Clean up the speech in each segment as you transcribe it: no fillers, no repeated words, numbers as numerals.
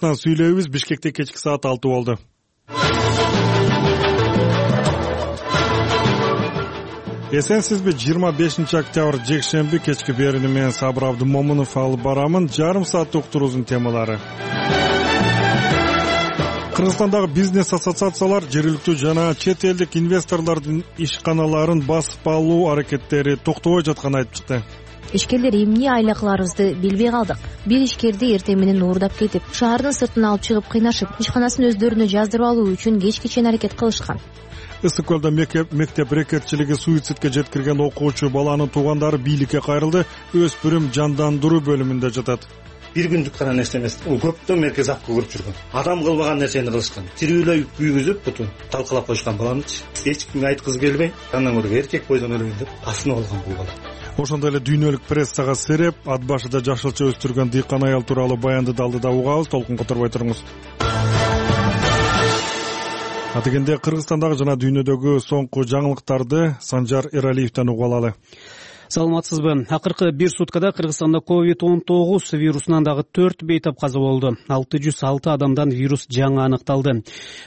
башынан сүйлөйбүз. Бишкекте кечки саат 6 болду. Эсенсизби? 25 октябрь жекшемби кечки берүүнү менен Сабыр Абдымомунов алып барамын. Жарым сааттык турузун темалары. Кыргызстандагы бизнес ассоциациялар жергиликтүү жана чет элдик инвесторлордун ишканаларын басып алуу аракеттери токтобой жатканын айтып чыкты. Ишкерлер эмне айла кыларыбызды билбей калдык. Бир ишкерди эртең менен уурдап кетип, шаардын сыртына алып чыгып кыйнашып, ишканасын өздөрүнө жаздырып алуу үчүн кечке чейин аракет кылышкан. Ысык көлдө мектеп рекетчилиги суицидке жеткирген окуучу баланын туугандары бийликке кайрылды. Өспүрүм жандандыруу бөлүмүндө жатат. Бир күндүк гана нерсе эмес. Ул көптөн меркез апка көрүп жүргөн. Адам кылбаган нерсени кылышкан. Тирүүлөй күйгүзүп, бутун талкалап койгон баланычы. Эч кимге айткызы келбей, андан көрө эркек бойдон өлөйүн деп асынып алган бул бала. Ошондой эле дүйнөлүк прессага сереп, ат башыда жашылча өстүргөн дыйкан аял тууралуу баянды алдыда угабыз. Толкун которбой туруңуз. Атыгенде Кыргызстандагы жана дүйнөдөгү соңку жаңылыктарды Санжар Эралиевден угуп алалы. Саламатсызбы? Акыркы бир суткада Кыргызстанда COVID-19 вирусунан дагы 4 бейтап каза болду. 606 адамдан вирус жаңы аныкталды.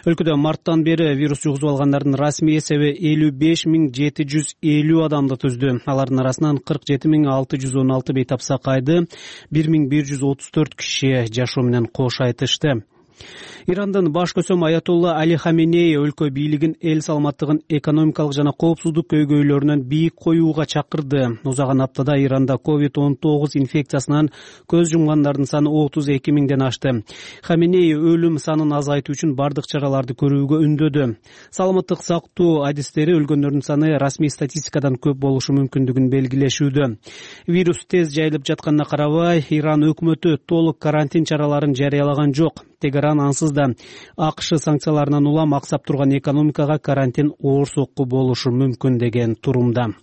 Өлкөдө марттан бери вирус жугузуп алгандардын расмий эсеби 55750 адамды түздү. Алардын арасынан 47616 бейтап сакайды, 1134 киши жашоо менен кош айтышты. Ирандын баш көсөм Аятолла Али Хаменеи өлкө бийлигин эл саламаттыгын экономикалык жана коопсуздук көйгөйлөрүнөн бийик коюуга чакырды. Узаган аптада Иранда COVID-19 инфекциясынан көз жумгандардын саны 32 миңден ашты. Хаменеи өлүм санын азайтуу үчүн бардык чараларды көрүүгө үндөдү. Саламаттык сактоо адистери өлгөндөрдүн саны расмий статистикадан көп болушу мүмкүндүгүн белгилешүүдө. Вирус тез жайылып жатканына карабай, Иран өкмөтү толук карантин чараларын жарыялаган жок. Тегеран ансыз да АКШ санкцияларынан улам аксап турган экономикага карантин оор сокку болушу мүмкүн деген турумда.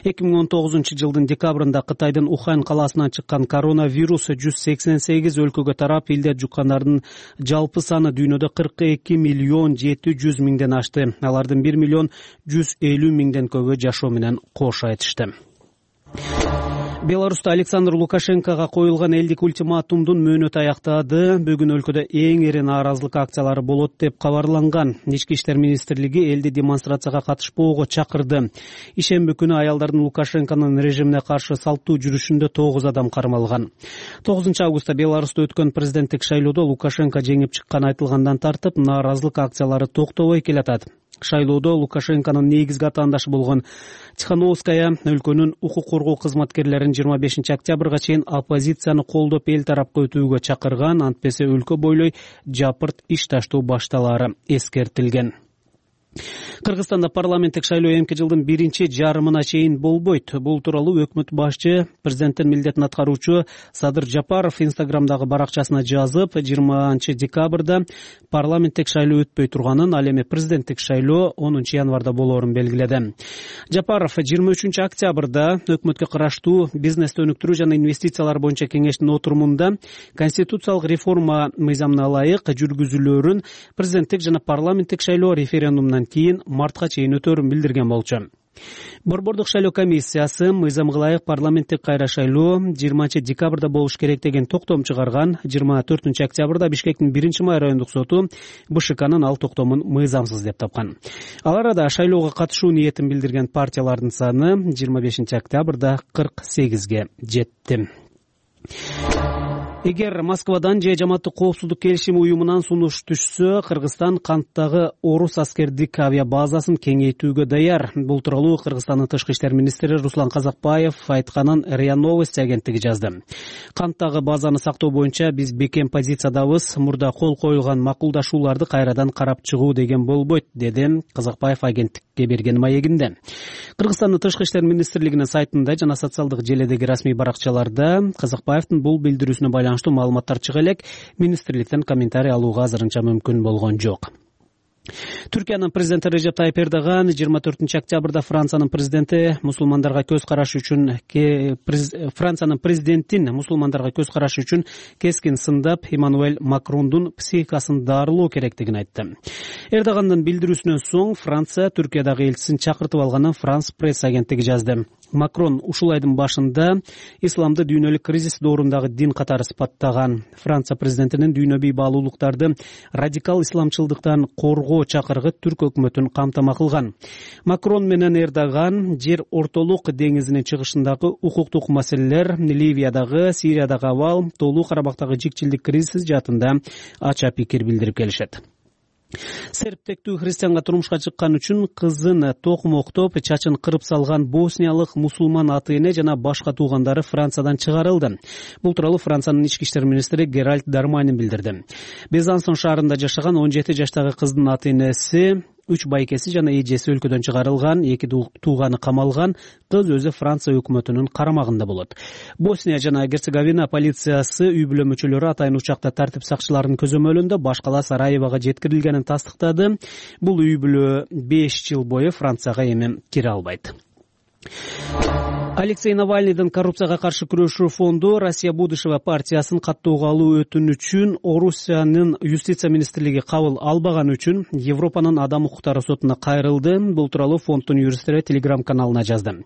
2019 жылдын декабрында Кытайдын Ухань калаасынан чыккан коронавирус 188 өлкөгө тарап, илде жуккандардын жалпы саны дүйнөдө 42 миллион 700 миңден ашты. Алардын 1 миллион 150 миңден көбү жашоо менен кош айтышты. Беларуста Александр Лукашенкого коюлган элдик ультиматумдун мөөнөтү аяктады. Бүгүн өлкөдө эң ири нааразылык акциялары болот деп кабарланган. Ички иштер министрлиги элди демонстрацияга катышпоого чакырды. Ишемби күнү аялдардын Лукашенконун режимине каршы салттуу жүрүшүндө 9 адам кармалган. 9 августта Беларуста өткөн президенттик шайлоодо Лукашенко жеңип чыккан айтылгандан тартып, нааразылык акциялары токтобой келатат. Шайлоодо Лукашенконун негизги атаандашы болгон Тихановская өлкөнүн укук коргоо кызматкерлерин 25 октябрга чейин оппозицияны колдоп эл тарапка өтүүгө чакырган, антпесе өлкө бойлой жапырт иш таштоо башталаары эскертилген. Кыргызстанда парламенттик шайлоо эмки жылдын биринчи жарымына чейин болбойт. Бул тууралуу өкмөт башчы президенттин милдетин аткаруучу Садыр Жапаров инстаграмдагы баракчасына жазып, 20 декабрда парламенттик шайлоо өтпөй турганын, ал эми президенттик шайлоо 10 январда болоорун белгиледи. Жапаров 23 октябрда өкмөткө караштуу бизнести өнүктүрүү жана инвестициялар боюнча кеңештин отурумунда конституциялык реформа мыйзамына ылайык жүргүзүлөөрүн президенттик жана парламенттик шайлоо референдумунан кийин мартка чейин өтөөрүн билдирген болчу. Борбордук шайлоо комиссиясы мыйзамга ылайык парламенттик кайра шайлоо 20 декабрда болуш керек деген токтом чыгарган. 24 октябрда Бишкектин 1-май райондук соту БШКнын ал токтомун мыйзамсыз деп тапкан. Ал арада шайлоого катышуу ниетин билдирген партиялардын саны 25 октябрда 48ге жетти. Эгер Москвадан же Жамааттык коопсуздук келишим уюмунан сунуш түшсө, Кыргызстан канттагы орус аскердик авиабазасын кеңейтүүгө даяр. Бул тууралуу Кыргызстандын тышкы иштер министри Руслан Казакбаев айтканын РИА Новости агенттиги жазды. Канттагы базаны сактоо боюнча биз бекем позициядабыз. Мурда кол коюлган макулдашууларды кайрадан карап чыгуу деген болбойт, деди Казакбаев агенттикке берген маегинде. Кыргызстандын тышкы иштер министрлигинин сайтында жана социалдык желедеги расмий баракчаларда Казакбаевдин бул билдирүүсүнө байланыштуу маалыматтар чыга элек, министрликтен комментарий алууга азырынча мүмкүн болгон жок. Түркиянын президенти Режеп Тайип Эрдоган 24 октябрда Франциянын президентин мусулмандарга көз карашы үчүн кескин сындап, Эммануэль Макрондун психикасын дарылоо керектигин айтты. Эрдогандын билдирүүсүнөн соң Франция Түркиядагы элчисин чакыртып алганын Франс пресс агенттиги жазды. Макрон ушул айдын башында исламды дүйнөлүк кризис доорундагы дин катары сыпаттаган. Франция президентинин дүйнөбүй баалуулуктарды радикал исламчылдыктан коргоо чакырыгы түрк өкмөтүн камтама кылган. Макрон менен Эрдоган жер ортолук деңизинин чыгышындагы укуктук маселелер, Ливиядагы, Сириядагы абал, Тоолуу Карабактагы жикчилдик кризиси жаатында ача пикир билдирип келишет. Серптектүү христианга турмушка чыккан үчүн кызын токмоктоп, чачын кырып салган босниялык мусулман ата эне жана башка туугандары Франциядан чыгарылды. Бул тууралуу Франциянын ички иштер министри Геральд Дарманин билдирди. Безансон шаарында жашаган 17 жаштагы кыздын ата энеси, 3 байкеси жана эжеси өлкөдөн чыгарылган, 2 тууганы камалган, кыз өзү Франция өкмөтүнүн карамагында болот. Босния жана Герцеговина полициясы үй бүлө мүчөлөрү атайын учакта тартип сакчыларынын көзөмөлүндө башкала Сараевага жеткирилгенин тастыктады. Бул үй бүлө 5 жыл бою Францияга эми кире албайт. Алексей Навальныйдын коррупцияга каршы күрөшүү фонду Россия будущего партиясын каттоого алуу өтүнүчүн Орусиянын юстиция министрлиги кабыл албаган үчүн Европанын адам укуктары сотуна кайрылды. Бул тууралуу фонддун юристтери Telegram каналына жазды.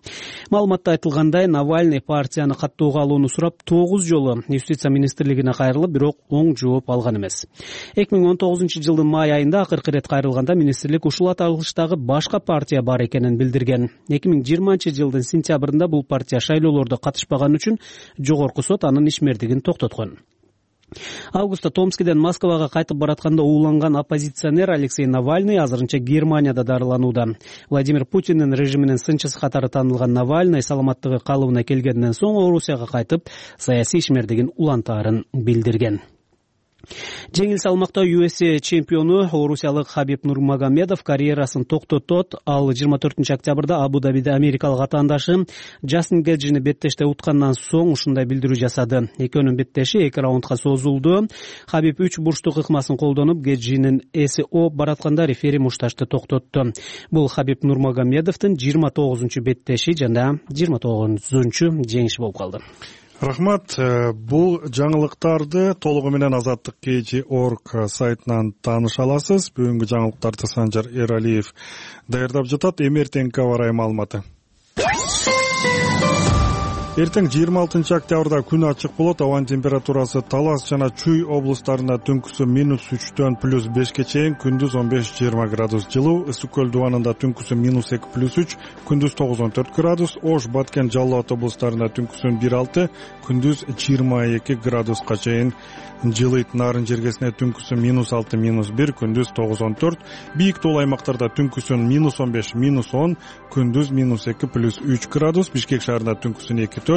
Маалыматта айтылгандай, Навальный партияны каттоого алууну сурап 9 жолу юстиция министрлигине кайрылып, бирок оң жооп алган эмес. 2019 жылдын май айында акыркы ирет кайрылганда министрлик ушул аталыштагы башка партия бар экенин билдирген. 2020 жылдын сентябрында бул партия шайлоолордо катышпаган үчүн жогорку сот анын ишмердигин токтоткон. Августта Томскиден Москвага кайтып баратканда ууланган оппозиционер Алексей Навальный азырынча Германияда дарыланууда. Владимир Путиндин режиминин сынчысы катары таанылган Навальный саламаттыгы калыбына келгенден соң Орусияга кайтып, саясий ишмердигин улантаарын билдирген. Жеңил салмакта UFC чемпиону орусиялык Хабиб Нурмагомедов карьерасын токтотот. Ал 24 октябрда Абу-Дабиде америкалык атаандашы Джастин Геджини беттеште уткандан соң ушундай билдирүү жасады. Экөөнүн беттеши 2 раундга созулду. Хабиб 3 бурчтук ыкмасын колдонуп, Геджинин эси ооп баратканда рефери мушташты токтотту. Бул Хабиб Нурмагомедовдун 29 беттеши жана 29 жеңиши болуп калды. Рахмат. Бул жаңылыктарды толугу менен Азаттык KG.org сайтынан тааныша аласыз. Бүгүнкү жаңылыктарды Санжар Эралиев даярдап жатат. Эмертеңки аба ырайы маалыматы. Эртең 26 октябрда күн ачык болот. Абанын температурасы Талас жана Чүй облустарында түнкүсү -3 +5 чейин, күндүз 15-20 градус жылуу. Ысык көл дубанында түнкүсү -2 +3, күндүз 9-14 градус. Ош, Баткен, Жалал Абад облустарында түнкүсү 1-6, күндүз 22 градуска чейин жылыйт. Нарын жергесине түнкүсү -6, -1, күндүз 9-14. Бийик тоол аймактарда түнкүсү -15, -10, күндүз -2 +3 градус. Бишкек шаарында түнкүсү 2-4,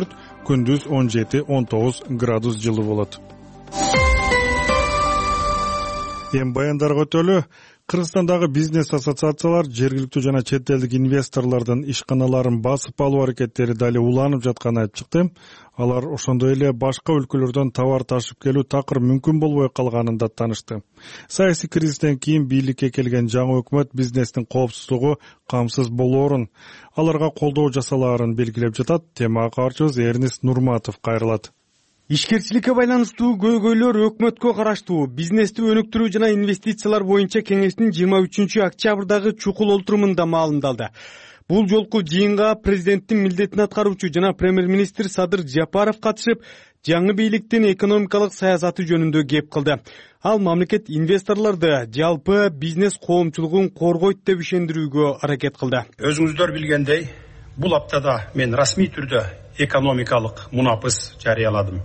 күндүз 17-19 градус жылуу болот. Эми баяндарга өтөлү. Кыргызстандагы бизнес ассоциациялар жергиликтүү жана чет элдик инвесторлордун ишканаларын басып алуу аракеттери дали уланып жатканын айтып чыкты. Алар ошондой эле башка өлкөлөрдөн товар ташып келүү такыр мүмкүн болбой калганын да таанышты. Саясий кризистен кийин бийликке келген жаңы өкмөт бизнестин коопсуздугу камсыз болоорун, аларга колдоо жасалаарын белгилеп жатат. Темага кабарчыбыз Эрнест Нурматов кайрылат. Ишкерчиликке байланыштуу көйгөйлөр өкмөткө караштуу бизнести өнүктүрүү жана инвестициялар боюнча кеңештин 23 октябрдагы чукул олтурумунда маалымдалды. Бул жолку жыйынга президенттин милдетин аткаруучу жана премьер-министр Садыр Жапаров катышып, жаңы бийликтин экономикалык саясаты жөнүндө кеп кылды. Ал мамлекет инвесторлорду жалпы бизнес коомчулугун коргойт деп ишендирүүгө аракет кылды. Өзүңүздөр билгендей, бул аптада мен расмий түрдө экономикалык мунапыс жарыяладым.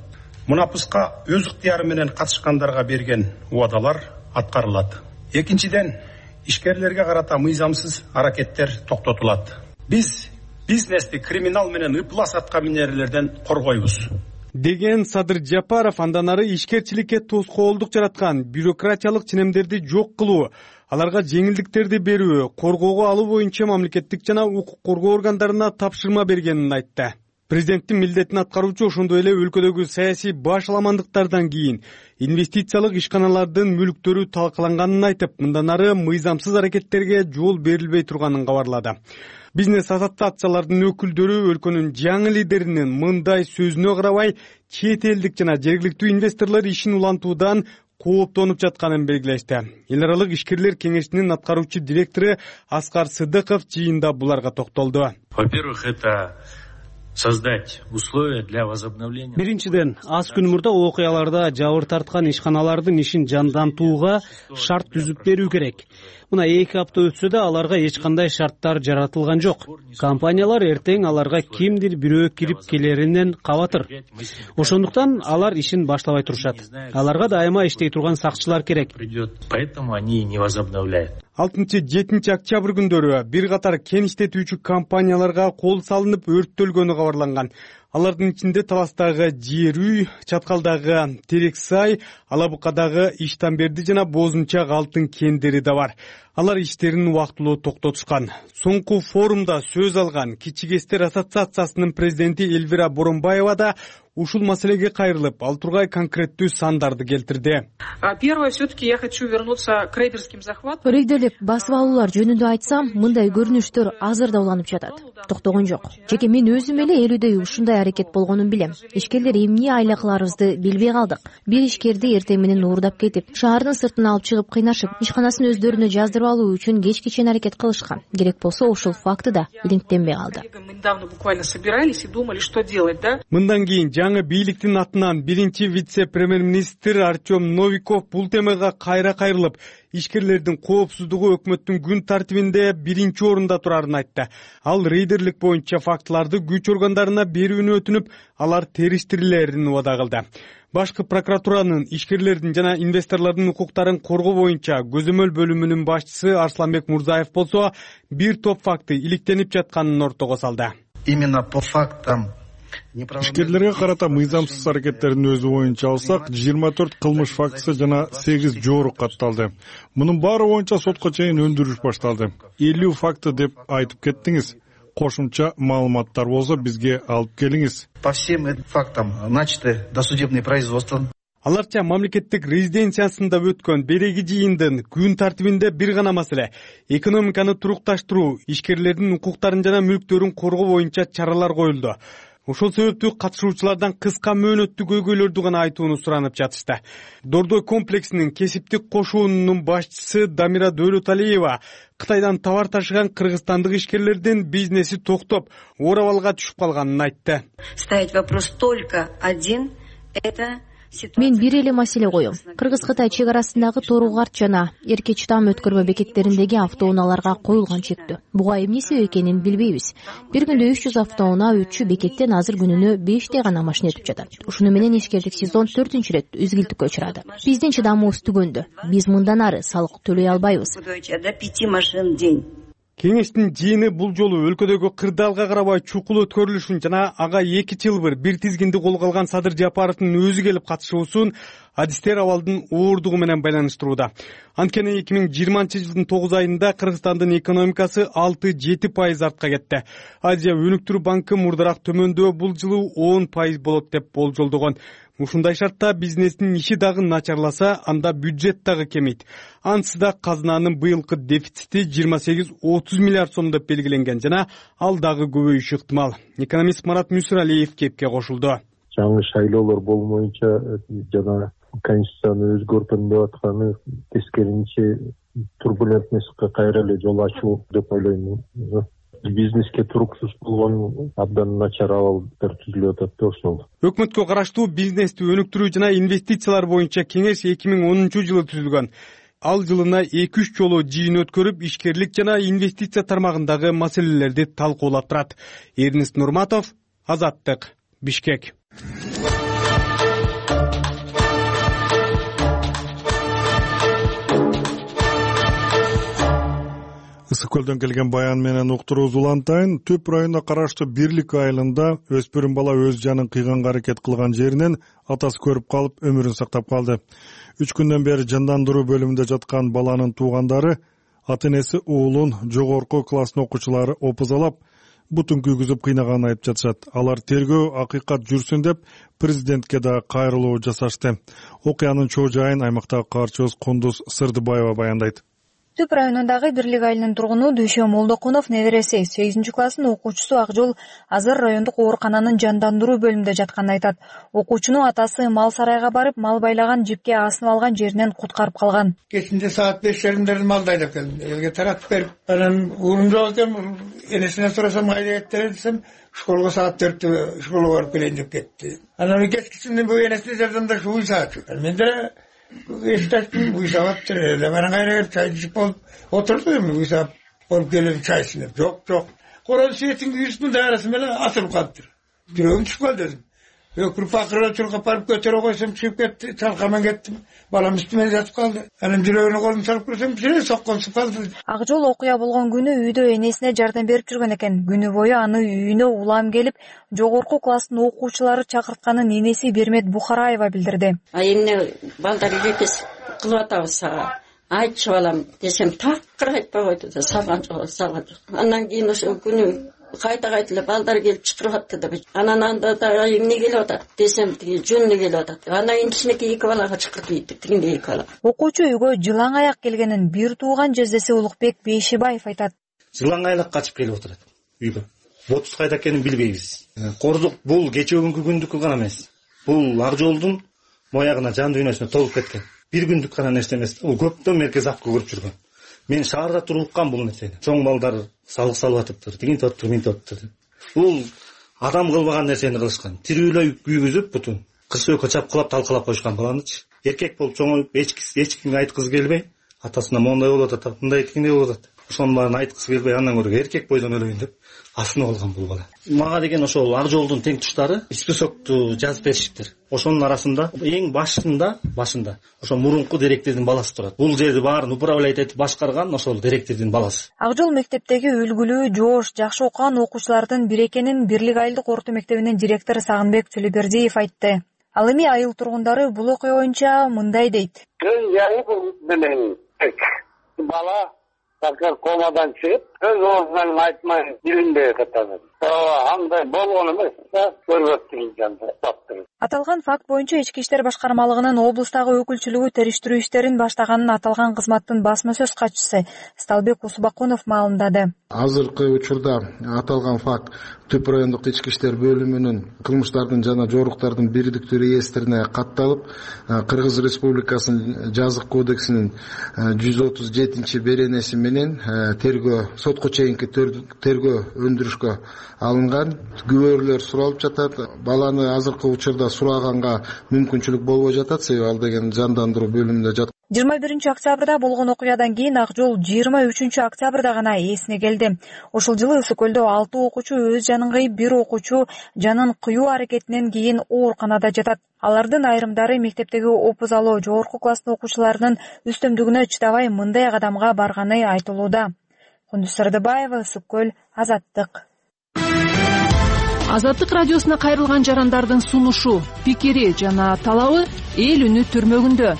Мунапыска өз ыктыяры менен катышкандарга берген убадалар аткарылат. Экинчиден, ишкерлерге карата мыйзамсыз аракеттер токтотулат. Биз бизнести криминал менен ыплас аткаминерлерден коргойбуз деген Садыр Жапаров андан ары ишкерчиликке тоскоолдук жараткан бюрократиялык ченемдерди жок кылуу, аларга жеңилдиктерди берүү, коргоого алуу боюнча мамлекеттик жана укук коргоо органдарына тапшырма бергенин айтты. Президенттин милдетин аткаруучу ошондой эле өлкөдөгү саясий башаламандыктардан кийин инвестициялык ишканалардын мүлктөрү талкаланганын айтып, мындан ары мыйзамсыз аракеттерге жол берилбей турганын кабарлады. Бизнес ассоциациялардын өкүлдөрү өлкөнүн жаңы лидеринин мындай сөзүнө карабай, чет элдик жана жергиликтүү инвесторлор ишин улантуудан кооптонуп жатканын белгилешти. Эл аралык ишкерлер кеңешинин аткаруучу директору Аскар Сыдыков жыйында буларга токтолду. Во-первых, это создать условия для возобновления. Биринчиден, аз күн мурда окуяларда жабыр тарткан ишканалардын ишин жандантууга шарт түзүп берүү керек. Мына 2 апта өтсө да аларга эч кандай шарттар жаратылган жок. Компаниялар эртең аларга кимдир бирөө кирип келеринен кабатыр. Ошондуктан алар ишин баштабай турушат. Аларга дайыма иштей турган сакчылар керек. Поэтому они не возобновляют. 6-7 октябрь күндөрү бир катар кен иштетүүчү компанияларга кол салынып өрттөлгөнү кабарланган. Алардын ичинде Таластагы Жер үй, Чаткалдагы Терексай, Алабукадагы Иштанберди жана Бозунчак алтын кендери да бар. Алар иштерин убактылуу токтотушкан. Соңку форумда сөз алган Кичи КСтер ассоциациясынын президенти Элвира Боронбаева да ушул маселеге кайрылып, ал тургай конкреттүү сандарды келтирди. Первое, все-таки я хочу вернуться к рейдерским захватам. Рейдерлик басып алуулар жөнүндө айтсам, мындай көрүнүштөр азыр да уланып жатат. Токтогон жок. Жеке мен өзүм эле элүүдөй ушундай аракет болгонун билем. Ишкерлер эмне айлакларыбызды билбей калдык. Бир ишкерди эртең менен уурдап кетип, шаардын сыртына алып чыгып кыйнашып, ишканасын өздөрүнө жаздырып алуу үчүн кечке чейин аракет кылышкан. Керек болсо ушул факты да иликтенбей калды. Мы недавно буквально собирались и думали, что делать, да? Мындан кийин жаңы бийликтин атынан биринчи вице-премьер-министр Артем Новиков бул темага кайра кайрылып, ишкерлердин коопсуздугу өкмөттүн күн тартибинде биринчи орунда турарын айтты. Ал рейдерлик боюнча фактыларды күч органдарына берүүнү өтүнүп, алар териштирилерин убада кылды. Башкы прокуратуранын ишкерлердин жана инвесторлордун укуктарын коргоо боюнча көзөмөл бөлүмүнүн башчысы Арсланбек Мурзаев болсо, бир топ факты иликтенип жатканын ортого салды. Именно по фактам ишкерлерге карата мыйзамсыз аракеттердин өзү боюнча алсак, 24 кылмыш фактысы жана 8 жоорук катталды. Мунун баары боюнча сотко чейин өндүрүш башталды. 50 факты деп айтып кеттиңиз. Кошумча маалыматтар болсо бизге алып келиңиз. По всем этим фактам начаты досудебные производства. Аларча мамлекеттик резиденциясында өткөн береги жыйындын күн тартибинде бир гана маселе — экономиканы турукташтыруу, ишкерлердин укуктарын жана мүлктөрүн коргоо боюнча чаралар коюлду. Ошол себептүү катышуучулардан кыска мөөнөттүү көйгөйлөрдү гана айтууну суранып жатышты. Дордой комплексинин кесиптик кошуунунун башчысы Дамира Дөөлөталиева Кытайдан товар ташыган кыргызстандык ишкерлердин бизнеси токтоп, оорабалга түшүп калганын айтты. Ставить вопрос только один — это Мен бир эле маселе коем. Кыргыз-Кытай чек арасындагы Торугарт жана Эрке-Чытам өткөрмө бекеттериндеги автоунааларга коюлган чектөө. Буга эмне себеп экенин билбейбиз. Бир күндө 300 автоунаа өтчү бекеттен азыр күнүнө 5 гана машина өтүп жатат. Ушуну менен ишкерлик сезон 4-рет үзгүлтүккө учурады. Биздин чыдамыбыз түгөндө. Биз мындан ары салык төлөй албайбыз. до 5 машин в день. Кеңештин жыйыны бул жолу өлкөдөгү кырдаалга карабай чукул өткөрүлүшүн жана ага 2 жылбыр бир тизгинди колго алган Садыр Жапаровдун өзү келип катышуусун адистер абалдын ооругу менен байланыштырууда. Анткени 2020-жылдын 9 айында Кыргызстандын экономикасы 6-7% артка кетти. Азия өнүктүрүү банкы мурдараак төмөндөө бул жылы 10% болот деп болжолдогон. Ушундай шартта бизнестин иши дагы начарласа, анда бюджет дагы кемейт. Ансыз да казынанын быйылкы дефицити 28-30 миллиард сом деп белгиленген жана ал дагы көбөйүшү ыктымал. Экономист Марат Мүсүралиев кепке кошулду. Жаңы шайлоолор болмоюнча жана конституцияны өзгөртөм деп атканы тескеринче турбулентностька кайра эле жол ачуу деп ойлойм. Бизнеске туруксуз болгон абдан начар абалдар түзүлүп атат да ошол. Өкмөткө караштуу бизнести өнүктүрүү жана инвестициялар боюнча кеңеш 2010-жылы түзүлгөн. Ал жылына 2-3 жолу жыйын өткөрүп, ишкерлик жана инвестиция тармагындагы маселелерди талкуулап турат. Эрнест Нурматов, Азаттык, Бишкек. Ысык көлдөн келген баян менен уктуруубуз улантайын. Түп районуна караштуу Бирлик айылында өспүрүм бала өз жанын кыйганга аракет кылган жеринен атасы көрүп калып өмүрүн сактап калды. 3 күндөн бери жандандыруу бөлүмүндө жаткан баланын туугандары ата-энеси уулун жогорку класстын окуучулары опузалап, бутун күйгүзүп кыйнаганын айтып жатышат. Алар тергөө акыйкат жүрсүн деп президентке да кайрылуу жасашты. Окуянын чоо жайын аймактагы каарчыбыз Кундуз Сырдыбаева баяндайт. Түп районундагы Бирлик айылынын тургуну Дүйшө Молдокунов небереси 8 класстын окуучусу Акжол азыр райондук оорукананын жандандыруу бөлүмүндө жатканын айтат. Окуучунун атасы мал сарайга барып, мал байлаган жипке асынып алган жеринен куткарып калган. Кечинде саат 5:30 малды айдап келдим. Элге таратып берип, анан уурум жок экен, энесинен сурасам кайда кеттиңер десем, школго саат 4-тө школго барып келейин деп кетти. Анан кечкисинен бул энесине жардамдаш уй саачу. Мен деле эштеттим, уй сааттыр. Эле менен кайра келип чай ичип болуп отурду. Уй саап болуп келип чай ичип. Жок. Корон сиетин күйүсүнүн дайрасы менен атылып калыптыр. Жүрөгүм чыгып калды дедим. Өкүрүп акырып чуркап барып көтөрө койсом чыгып кетти. Чалкамен кеттим. Балам үстүмө жатып калды. Анан жүрөгүнө колумду салып көрсөм, жире сокконсуп калды. Акжол окуя болгон күнү үйдө энесине жардам берип жүргөн экен. Күнү бою аны үйүнө улам келип, жогорку класстын окуучулары чакыртканын энеси Бермет Бухараева билдирди. Эмне балдар жекес кылып атабыз сага? Айтчы балам десем, такыр айтпай койду да, салган жок. Андан кийин ошо күнү кайта балдар келип чакырып атты да. Анан анда да эмне келип атат десем, тиги жөнүнө келип атат. Анан кичинекей 2 балага чакырып ийди, тигинде 2 бала. Окуучу үйгө жылаң аяк келгенин бир тууган жездеси Улукбек Бейшибаев айтат. Жылаң аяк качып келип отурат үйгө. Ботус кайда экенин билбейбиз. Кордук бул кече бүгүнкү күндүкү гана эмес. Бул Акжолдун моягына, жан дүйнөсүнө толуп кеткен. Бир күндүк гана нерсе эмес. Бул көптөн меркез апка көрүп жүргөн. Мен шаарда туруп уккам бул нерсени. Чоң балдар салык салып атыптыр, тигинтип атыптыр, минтип атыптыр. Бул адам кылбаган нерсени кылышкан. Тирүүлөй күйгүзүп, бутун кырсыөккө чапкылап, талкалап коюшкан баланычы. Эркек болуп чоңоюп, эч кимге айткысы келбей, атасына моундай болуп атат, мындай тигиндей болуп атат. Ошонун баарын айткысы келбей, андан көрө эркек бойдон өлөйүн деп асынып алган бул бала. Мага деген ошол Акжолдун тең туштары списокту жазып беришиптир. Ошонун арасында эң башында ошо мурунку директордун баласы турат. Бул жерди баарын управлять этип башкарган ошол директордун баласы. Акжол мектептеги үлгүлүү, жоош, жакшы окуган окуучулардын бири экенин Бирлик айылдык орто мектебинин директору Сагынбек Төлөбердиев айтты. Ал эми айыл тургундары бул окуя боюнча мындай дейт. Бала такыр комадан чыгып, өз оозунан айтмай дилинде катады. Андай болгон эмес, көрбөттүн жанда таптыр. Аталган факт боюнча Ички иштер башкармалыгынын облустагы өкүлчүлүгү териштирүү иштерин баштаганын аталган кызматтын басма сөз катчысы Сталбек Усубакунов маалымдады. Азыркы учурда аталган факт Түп райондук ички иштер бөлүмүнүн кылмыштардын жана жоруктардын бирдиктүү реестрине катталып, Кыргыз Республикасынын жазык кодексинин 137 беренеси менен сотко чейинки тергөө өндүрүшкө алынган. Күбөлөр суралып жатат. Баланы азыркы учурда сураганга мүмкүнчүлүк болбой жатат, себеби ал деген жандандыруу бөлүмүндө жатат. 21 октябрда болгон окуядан кийин Акжол 23 октябрда гана эсине келди. Ошол жылы Ысык көлдө 6 окуучу өз жанын кыйып, 1 окуучу жанын кыюу аракетинен кийин ооруканада жатат. Алардын айрымдары мектептеги опузалоо жогорку класстын окуучуларынын үстөмдүгүнө чыдабай мындай кадамга барганы айтылууда. Кундуз Сырдыбаева, Ысык көл, Азаттык. Азаттык радиосуна кайрылган жарандардын сунушу, пикири жана талабы эл үнү түрмөгүндө.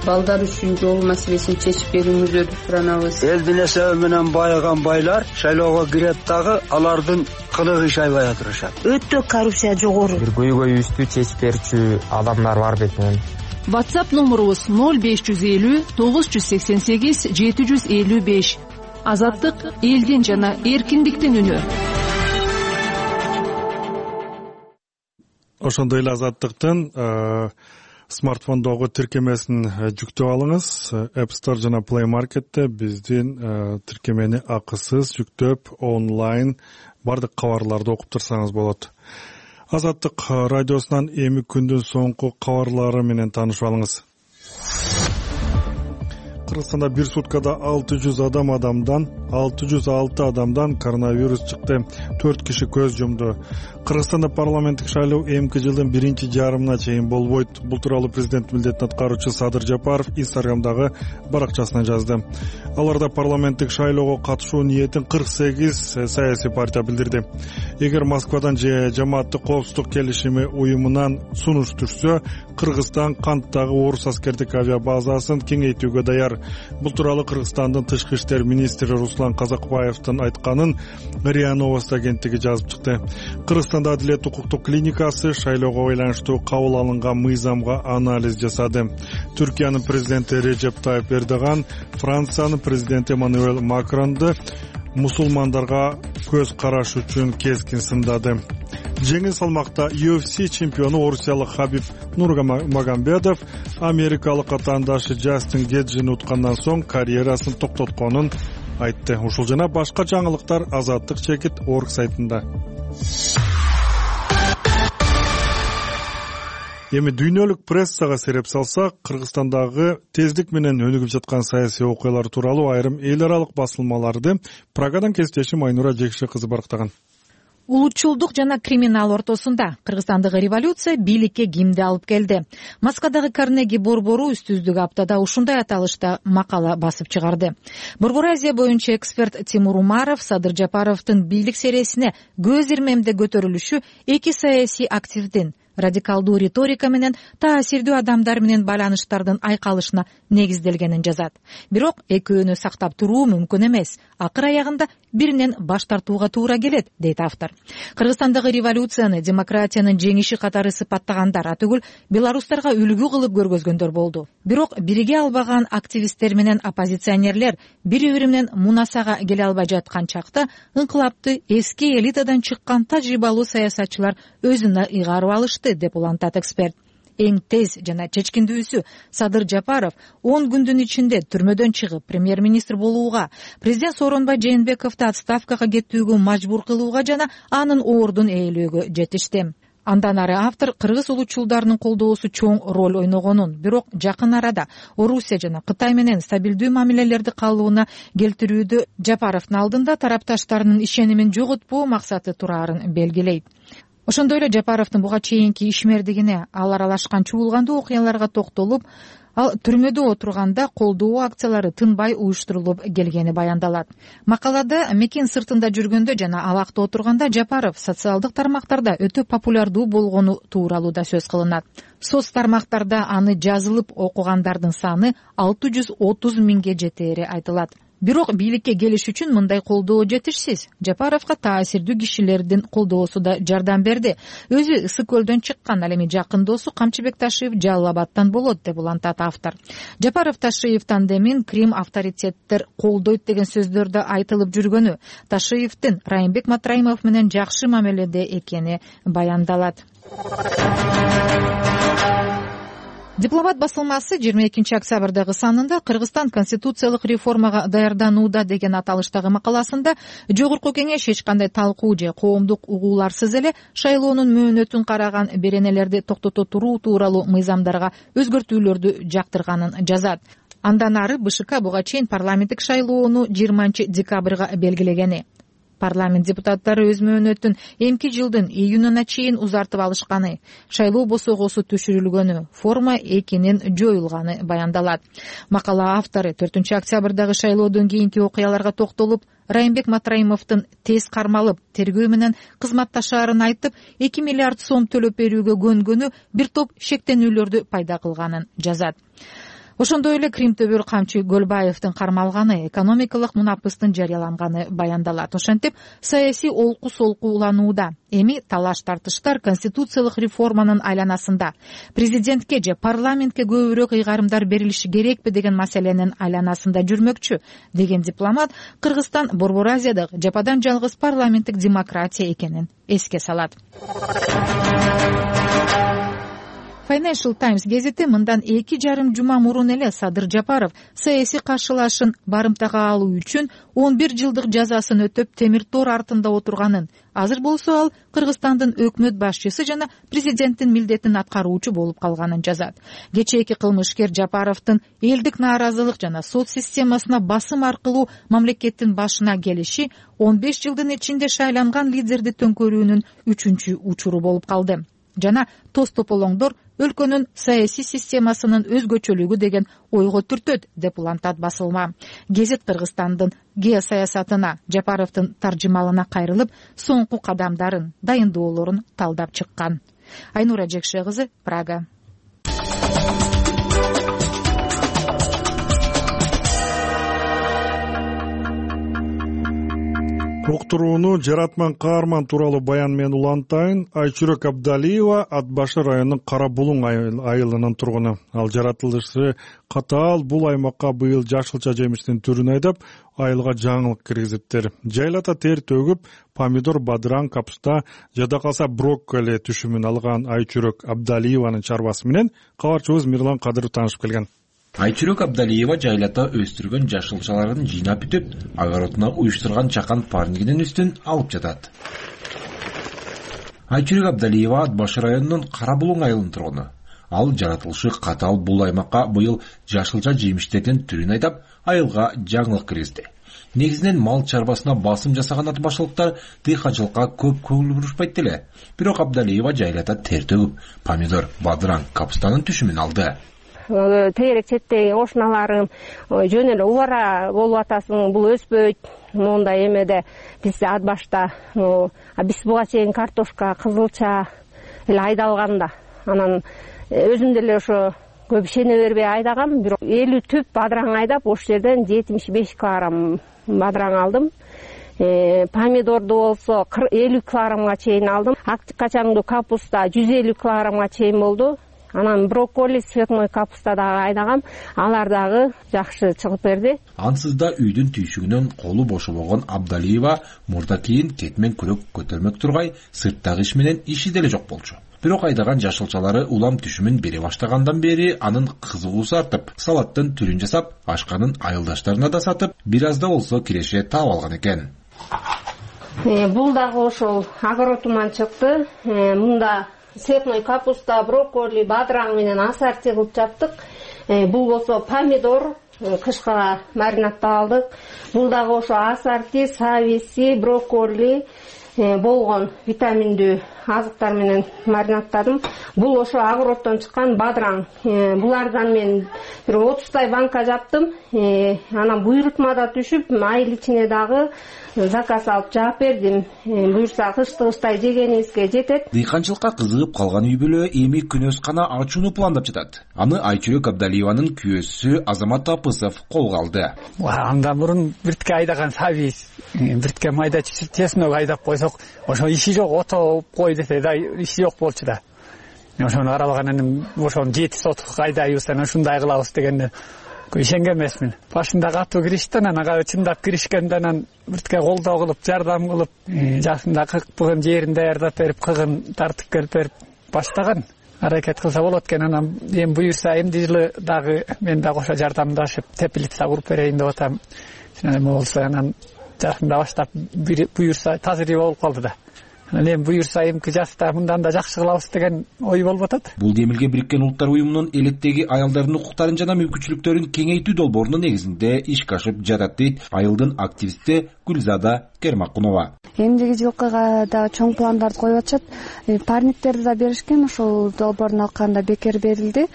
Балдар үчүн жол маселесин чечип берүүңүздү суранабыз. Элдин эсеби менен байыган байлар шайлоого кирет дагы алардын кылыгы иш айбай атырышат. Өтө коррупция жогору. Бир көйгөйүбүздү чечип берчү адамдар бар бетинен. WhatsApp номурубуз 0550 988 755. Азаттык элдин жана эркиндиктин үнү. Ошондой эле Азаттыктын смартфондогу тиркемесин жүктөп алыңыз. App Store жана Play Market'те биздин тиркемени акысыз жүктөп онлайн бардык кабарларды окуп турсаңыз болот. Азаттык радиосунан эми күндүн соңку кабарлары менен таанышып алыңыз. Кыргызстанда бир суткада 606 адамдан коронавирус чыкты. 4 киши көз жумду. Кыргызстанда парламенттик шайлоо эмки жылдын 1-жарымына чейин болбойт. Бул тууралуу президент милдетин аткаруучу Садыр Жапаров Инстаграмдагы баракчасына жазды. Аларда парламенттик шайлоого катышуу ниетин 48 саясий партия билдирди. Эгер Москвадан же жамааттык коопсуздук келишими уюмунан сунуш түшсө, Кыргызстан канттагы орус аскердик авиабазасын кеңейтүүгө даяр. Бул тууралуу Кыргызстандын тышкы иштер министри Руслан Казакбаевдин айтканын РИА Новости агенттиги жазып чыкты. Кыргызстанда Адилет укуктук клиникасы шайлоого байланыштуу кабыл алынган мыйзамга анализ жасады. Түркиянын президенти Режеп Тайып Эрдоган Франциянын президенти Эммануэль Макронду мусулмандарга көз караш үчүн кескин сындады. Жеңил салмакта UFC чемпиону орусиялык Хабиб Нурмагомедов америкалык атаандашы Джастин Геджини уткандан соң карьерасын токтотконун айтты. Ушул жана башка жаңылыктар Азаттык чекит орг сайтында. Эми дүйнөлүк прессага сереп салсак, Кыргызстандагы тездик менен өнүгүп жаткан саясий окуялар тууралуу айрым эл аралык басылмаларды Прагадан кесиптешим Айнура Жекше кызы барктаган. Улутчулдук жана криминал ортосунда Кыргызстандагы революция бийликке кимди алып келди? Москвадагы Карнеги борбору үстүздүк аптада ушундай аталышта макала басып чыгарды. Борбор Азия боюнча эксперт Тимур Умаров Садыр Жапаровдун бийлик сересине көз ирмемде көтөрүлүшү эки саясий активдин радикалдуу риторика менен таасирдүү адамдар менен байланыштардын айкалышына негизделгенин жазат. Бирок экөөнү сактап туруу мүмкүн эмес. Акыр аягында биринен баш тартууга туура келет, дейт автор. Кыргызстандагы революцияны демократиянын жеңиши катары сыпаттагандар атүгүл белорустарга үлгү кылып көргөзгөндөр болду. Бирок бириге албаган активисттер менен оппозиционерлер бири-бири менен мунасага келе албай жаткан чакта ыңкылапты эски элитадан чыккан тажрыйбалуу саясатчылар өзүнө ыйгарып алышты, деп улантат эксперт. Эң тез жана чечкиндүүсү Садыр Жапаров 10 күндүн ичинде түрмөдөн чыгып премьер-министр болууга, президент Сооронбай Жээнбековду отставкага кетүүгө мажбур кылууга жана анын ордун ээлөөгө жетишти. Андан ары автор кыргыз улутчулдарынын колдоосу чоң роль ойногонун, бирок жакын арада Орусия жана Кытай менен стабилдүү мамилелерди калыбына келтирүүдө Жапаровдун алдында тарапташтарынын ишенимин жоготпоо максаты турарын белгилейт. Ошондой эле Жапаровдун буга чейинки ишмердигине, ал аралашкан чуулгандуу окуяларга токтолуп, ал түрмөдө отурганда колдоо акциялары тынбай уюштурулуп келгени баяндалат. Макалада мекен сыртында жүргөндө жана алакта отурганда Жапаров социалдык тармактарда өтө популярдуу болгону тууралуу да сөз кылынат. Соц тармактарда аны жазылып окугандардын саны 630 миңге жетери айтылат. Бирок бийликке келиш үчүн мындай колдоо жетишсиз. Жапаровго таасирдүү кишилердин колдоосу да жардам берди. Өзү Ысык көлдөн чыккан, ал эми жакын досу Камчыбек Ташиев Жалал Абадтан болот, деп улантат автор. Жапаров Ташиев тандемин Крим авторитеттер колдойт деген сөздөрдө айтылып жүргөнү, Ташиевдин Райымбек Матраимов менен жакшы мамиледе экени баяндалат. Дипломат басылмасы 22 октябрдагы санында Кыргызстан конституциялык реформага даярданууда деген аталыштагы макаласында жогорку кеңеш эч кандай талкуу же коомдук угууларсыз эле шайлоонун мөөнөтүн караган беренелерди токтото туруу тууралуу мыйзамдарга өзгөртүүлөрдү жактырганын жазат. Андан ары БШК буга чейин парламенттик шайлоону 20 декабрга белгилегени. Парламент депутаттары өз мөөнөтүн эмки жылдын июнуна чейин узартып алышканы, шайлоо босогосу түшүрүлгөнү, форма 2-нин жоюлганы баяндалат. Макала автору 4 октябрдагы шайлоодон кийинки окуяларга токтолуп, Райымбек Матраимовдун тез кармалып, тергөө менен кызматташаарын айтып, 2 миллиард сом төлөп берүүгө көнгөнү бир топ шектенүүлөрдү пайда кылганын жазат. Ошондой эле Крим төбөр камчы Көлбаевдин кармалганы, экономикалык мунапыстын жарыяланганы баяндалат. Ошентип, саясий олку солку уланууда. Эми талаш-тартыштар конституциялык реформанын айланасында. Президентке же парламентке көбүрөөк ыйгарымдар берилиши керекпи деген маселенин айланасында жүрмөкчү, деген дипломат Кыргызстан Борбор Азиядагы жападан жалгыз парламенттик демократия экенин эске салат. Financial Times гезити мындан 2,5 жума мурун эле Садыр Жапаров саясий каршылашын барымтага алуу үчүн 11 жылдык жазасын өтөп темир тор артында отурганын, азыр болсо ал Кыргызстандын өкмөт башчысы жана президенттин милдетин аткаруучу болуп калганын жазат. Кечээки кылмышкер Жапаровдун элдик нааразылык жана соц системасына басым аркылуу мамлекеттин башына келиши 15 жылдын ичинде шайланган лидерди төңкөрүүнүн 3-чү учуру болуп калды. Жана тоз тополоңдор өлкөнүн саясий системасынын өзгөчөлүгү деген ойго түртөт, деп улантат басылма. Гезит Кыргызстандын геосаясатына, Жапаровдун таржымалына кайрылып, соңку кадамдарын, дайындоолорун талдап чыккан. Айнура Жекше кызы, Прага. уктурууну жаратман каарман тууралуу баян менен улантайын. Айчүрөк Абдалиева Ат башы районунун Кара Булуң айылынын тургуну. Ал жаратылышы катаал бул аймакка быйыл жашылча жемиштин түрүн айдап, айылга жаңылык киргизиптир. Жайлата тер төгүп, помидор, бадыраң, капуста, жада калса брокколи түшүмүн алган Айчүрөк Абдалиеванын чарбасы менен кабарчыбыз Мирлан Кадыров таанышып келген. Айчүрөк Абдалиева жайлата өстүргөн жашылчаларын жыйнап бүтүп, огородуна уюштурган чакан парнигинин үстүн алып жатат. Айчүрөк Абдалиева Ат башы районунун Кара Булуң айылынын тургуну. Ал жаратылышы катаал бул аймакка быйыл жашылча жемиштердин түрүн айдап, айылга жаңылык киргизди. Негизинен мал чарбасына басым жасаган ат башылыктар дыйканчылыкка көп көңүл бурушпайт деле. Бирок Абдалиева жайлата тер төгүп, помидор, бадыраң, капустанын түшүмүн алды. Тегерек четтеги кошуналарым жөн эле убара болуп атасың, бул өспөйт. Мондай эмеде биз Ат башта биз буга чейин картошка, кызылча эле айдалганда, анан өзүм деле ошо көп ишене бербей айдагам, бирок 50 түп бадыраң айдап, ошол жерден 75 килограмм бадыраң алдым. Помидорду болсо 50 килограммга чейин алдым. Ак качаңдуу капуста 150 килограммга чейин болду. Анан брокколи, цветной капуста дагы айдагам, алар дагы жакшы чыгып берди. Ансыз да үйдүн түйшүгүнөн колу бошобогон Абдалиева мурда кийин кетмен күрөк көтөрмөк тургай, сырттагы иш менен иши деле жок болчу. Бирок айдаган жашылчалары улам түшүмүн бере баштагандан бери анын кызыгуусу артып, салаттын түрүн жасап, ашканын айылдаштарына да сатып, бир аз да болсо киреше таап алган экен. Бул дагы ошол огородуман чыкты. Мында цветной капуста, брокколи, бадыраң менен ассорти кылып жаптык. Бул болсо помидор, кышка маринаттап алдык. Бул дагы ошо ассорти, сависи, брокколи болгон витаминдүү азыктар менен маринаттадым. Бул ошо огороддон чыккан бадыраң. Булардан мен бир 30 банка жаптым. Анан буйрутмада түшүп, айыл ичине дагы заказ алып жаап бердим. Буюрса кыштай жегенибизге жетет. Дыйканчылыкка кызыгып калган үй бүлө эми күнөскана ачууну пландап жатат. Аны Айчүрөк Абдалиеванын күйөөсү Азамат Апысов колго алды. Андан мурун биртке айдаган сабиз, биртке майда чеснок айдап койсок, ошо иши жок, ото кой десе да иши жок болчу да. Ошону карабаганан ошону 7 соток айдайбыз, анан ушундай кылабыз дегенде ишенген эмесмин. Башында катуу киришти, анан ага чындап киришкенде анан биртке колдоо кылып, жардам кылып, жакында кыгын жерин даярдап берип, кыгын тартып келип берип баштаган. Аракет кылса болот экен, анан эми буюрса эмди жылы дагы мен да кошо жардамдашып, теплица куруп берейин деп атам. Эме болсо анан жакында баштап буюрса тазыр болуп калды да. Анан буюрса эмки жаста мындан да жакшы кылабыз деген ой болуп атат. Бул Демилге Бириккен Улуттар уюмунун элеттеги аялдардын укуктарын жана мүмкүнчүлүктөрүн кеңейтүү долбоорунун негизинде ишке ашып жатат дейт айылдын активисти Гүлзада Кермакунова. Эмдиги жылкыга да чоң пландарды коюп атышат. Парниктерди да беришкен, ошол долбоордун алканда бекер берилди.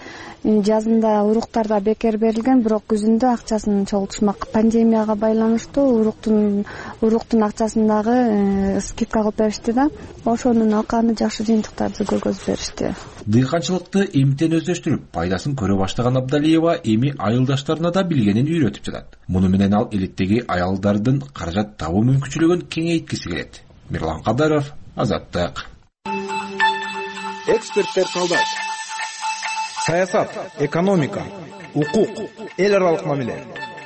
Жазында уруктар да бекер берилген, бирок күзүндө акчасын чогултушмак. Пандемияга байланыштуу уруктун акчасын дагы скидка кылып беришти да. Ошонун алканы жакшы жыйынтыктарды көргөзүп беришти. Дыйканчылыкты эмтен өздөштүрүп, пайдасын көрө баштаган Абдалиева эми айылдаштарына да билгенин үйрөтүп жатат. Муну менен ал элеттеги аялдардын каражат табуу мүмкүнчүлүгүн кеңейткиси келет. Мирлан Кадаров, Азаттык. Эксперттер талдайт. Саясат, экономика, укук, эл аралык мамиле,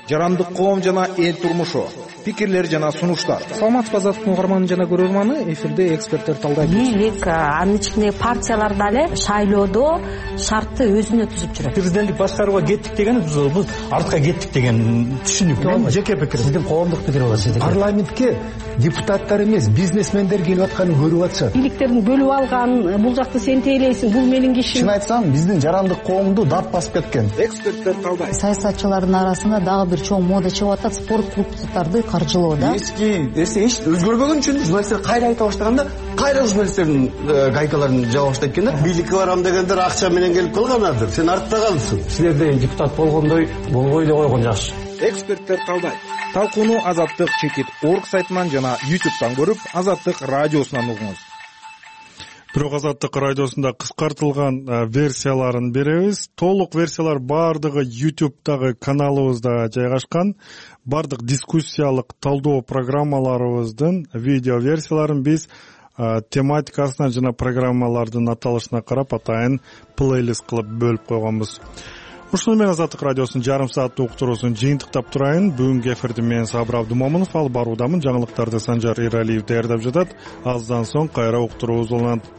жарандык коом жана эл турмушу, пикирлер жана сунуштар. Саламатсызбы Азаттыктын угарманы жана көрөрманы, эфирде эксперттер талдайт. Бийлик, анын ичиндеги партиялар дагы шайлоодо шартты өзүнө түзүп жүрөт. Президенттик башкарууга кеттик деген биз артка кеттик деген түшүнүк. Мен жеке пикир. Сиздин коомдук пикир болот. Парламентке депутаттар эмес, бизнесмендер келип атканын көрүп атышат. Бийликтердин бөлүп алган, бул жакты сен тейлейсиң, бул менин кишим. Чын айтсам, биздин жарандык коомду дат басып кеткен. Эксперттер талдайт. Саясатчылардын арасында дагы бир чоң мода чыгып атат, спорт клубдарды каржылоо да. Эч өзгөрбөгөн үчүн журналисттер кайра айта баштаганда, кайра журналисттердин гайкаларын жаба баштайт экен да. Бийликке барам дегендер акча менен келип калганадыр. Сен артта калдың. Силерде депутат болгондой болбой эле койгон жакшы. Эксперттер талдайт. Талкууну Азаттык чекит.org сайтынан жана YouTube'дан көрүп, Азаттык радиосунан угуңуз. Бирок Азаттык радиосунда кыскартылган версияларын беребиз. Толук версиялар бардыгы YouTube'дагы каналыбызда жайгашкан. Бардык дискуссиялык талдоо программаларыбыздын видео версияларын биз тематикасына жана программалардын аталышына карап атайын плейлист кылып бөлүп койгонбуз. Ушуну менен Азаттык радиосунун жарым сааттык уктуруусун жыйынтыктап турайын. Бүгүнкү эфирди мен Сабыр Абдумомунов алып баруудамын. Жаңылыктарды Санжар Эралиев даярдап жатат. Аздан соң кайра уктуруубуз уланат.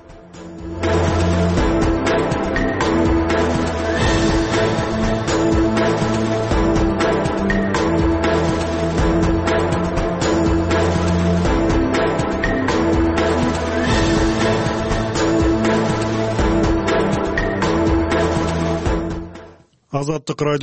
Азаттык радио